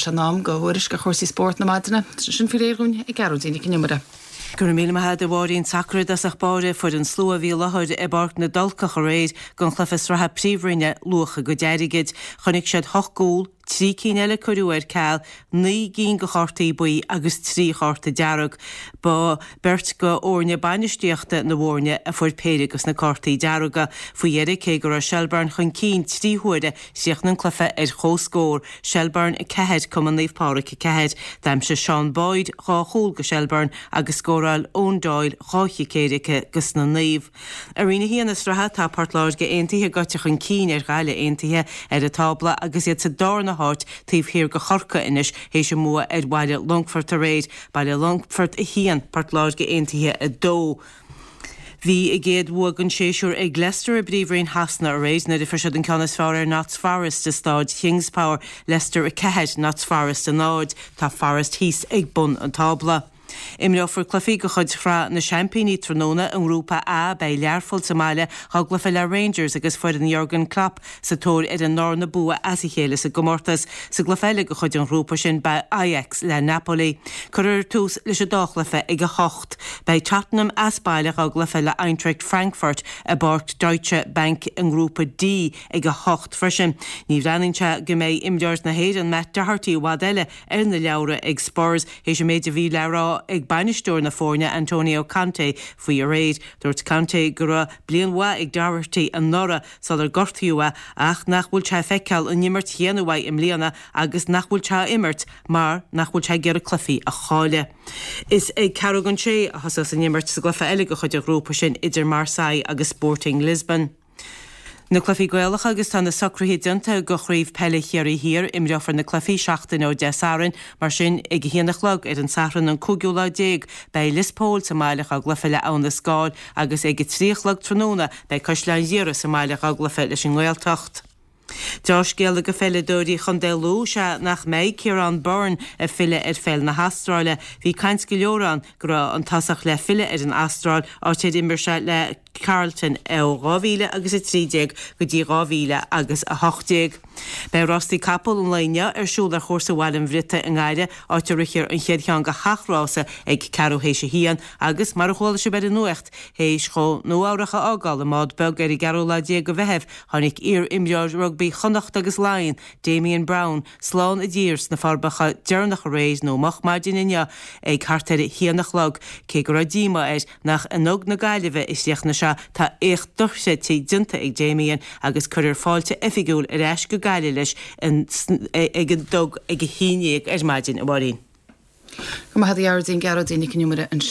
Sé in am do thuairisc ar chúrsaí spóirt na maidine. Sin faoi réir dhúinn ag Gearóidín Nic an Iomaire. Go raibh míle maith agat a Mháirín. Sacar i dtosach báire, fuair an slua a bhí i láthair i bPáirc na dTulcach aréir don chluiche sraithe Príomhroinne luach a gcuid airgid. Chonaic siad hocht gcúl, trí cinn eile cuireadh ar ceal, 9 gcinn de chártaí buí agus 3 chárta dearg. Ba beirt de fhoirne bainistíochta na bhfoirne a fuair péire de na cártaí dearga. Faoi dheireadh, cé go raibh Shelbourne chun cinn 3 huaire, chríochnaigh an cluiche ar comhscór, Shelbourne 4, Cumann Naomh Pádraig 4. D'aimsigh Sean Boyd dhá chúl do Shelbourne agus scóráil Eoin Doyle dhá chic éirice dos na Naoimh. I Roinn 1 na sraithe, tá Port Láirge Aontaithe gaibhte chun cinn ar Ghaillimh Aontaithe ar an tábla agus iad sa darna háit taobh thiar de Chorcaigh anois théis a mbua ar Bhaile Longfoirt aréir, Baile Longfoirt 1, Port Láirge Aontaithe 2. Bhí a gcéad bhua den séasúr ag Leicester i bPríomhroinn Shasana aréir nuair a fuair siad an ceann is fearr ar Notts Forest i Stáid Kingspower, Leicester 4, Notts Forest 0. Tá Forest thíos ag bun an tábla. Imreofar cluichí de chuid Shraith na Seaimpíní tráthnóna. I nGrúpa A, beidh Learpholl sa mbaile dhá gcluiche le Rangers agus foireann Jurgen Klopp sa tóir ar a ndarna bua as a chéile sa gcomórtas. Sa gcluiche eile de chuid an ghrúpa sin, beidh Ajax le Napoli. Cuirfear tús leis an dá chluiche ag 8. Beidh Tottenham as baile dhá gcluiche le Eintracht Frankfurt i bPáirc Deutsche Bank i nGrúpa D ag 8 freisin. Ní bhreathnaíonn sé go mbeidh imreoir na hÉireann Matt Doherty i bhfad eile ar na leabhra ag Spurs théis an méid a bhí le rá ag bainisteoir na foirne Antonio Conte faoi aréir. Dúirt Conte go raibh bliain mhaith ag Doherty anuraidh sular gortaíodh é ach nach bhfuil sé ag feiceáil an imirt chéanna uaidh i mbliana agus nach bhfuil sé á imirt mar nach bhfuil sé ag iarraidh cluichí a chailleadh. Is ag ceathrú don sé a thosós an imirt sa gcluiche eile de chuid an ghrúpa sin idir Marseille agus Sporting Lisbon. Na cluichí Gaelacha agus tá na socruithe déanta do Chraobh Peile Chiarraí Thiar. Imreofar na cluichí seachtain ó Dé Sathairn, mar sin ag a haon a chlog ar an Satharn an cúigiú lá déag beidh Lios Póil sa mbaile dhá gcluiche le Abha na Scáil agus ag a trí a chlog tráthnóna beidh Caisleán Ghiorra sa mbaile dhá gcluiche leis an nGaeltacht. Deá-scéala do pheileadóirí Chontae Lú is ea nach mbeidh Ciarán Byrne ag filleadh ar pheil na hAstráile. Bhí caint go leor ann go raibh an tosach le filleadh ar an Astráil, áit ar imir sé le Carlton ó 2000 agus 13 go dtí 2018. Beidh rástaí capall an lae inniu ar siúl ar chúrsa Bhaile an Bhriotaigh i nGuaire, áit a rithfear an chéad cheann de sheacht rása ag ceathrú théis a haon agus, mar a chuala sibh ar an nuacht, théis dhó Nua Eabhrach a fhágáil i mbád beag ar an gceathrú lá déag de Mheitheamh, tháinig iar-imreoir rugbaí Chonnacht agus Laighean, Damien Browne, slán i dtír sna Forbacha deireanach aréir nó moch maidin inniu ag thart ar a haon a chlog, cé go raibh díomá air nach i nDug na Gaillimhe a chríochnaigh sé, tá éacht dochreidte déanta ag Damien agus cuirfear fáilte oifigiúil ar ais go Gaillimh leis ag an Dug ag a haon dhéag ar maidin, a Mháirín. Go raibh maith agat a Ghearóidín, Gearóidín Nic an Iomaire ansin.